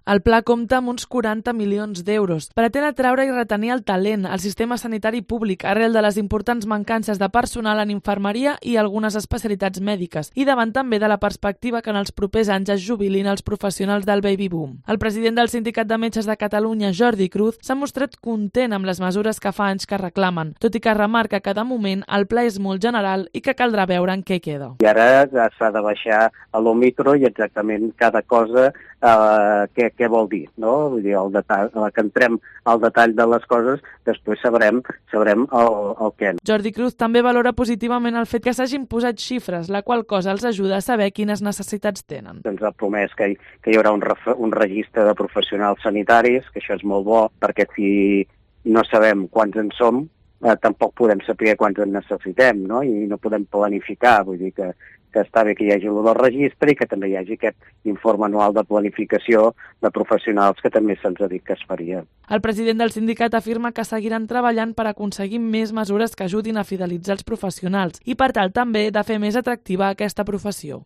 El pla compta amb uns 40 milions d'euros. Pretén atraure i retenir el talent al sistema sanitari públic arrel de les importants mancances de personal en infermeria i algunes especialitats mèdiques, i davant també de la perspectiva que en els propers anys es jubilin els professionals del baby boom. El president del Sindicat de Metges de Catalunya, Jordi Cruz, s'ha mostrat content amb les mesures que fa anys que reclamen, tot i que remarca que de moment el pla és molt general i que caldrà veure en què queda. I ara s'ha de baixar a lo micro i exactament cada cosa què vol dir, no? Vull dir, que entrem al detall de les coses, després sabrem el què. Jordi Cruz també valora positivament el fet que s'hagin posat xifres, la qual cosa els ajuda a saber quines necessitats tenen. Ens ha promès que hi haurà un registre de professionals sanitaris, que això és molt bo, perquè si no sabem quants en som, tampoc podem saber quants en necessitem, no? I no podem planificar, vull dir que està bé que hi hagi el del registre i que també hi hagi aquest informe anual de planificació de professionals que també se'ns ha dit que es faria. El president del sindicat afirma que seguiran treballant per aconseguir més mesures que ajudin a fidelitzar els professionals i, per tal, també de fer més atractiva aquesta professió.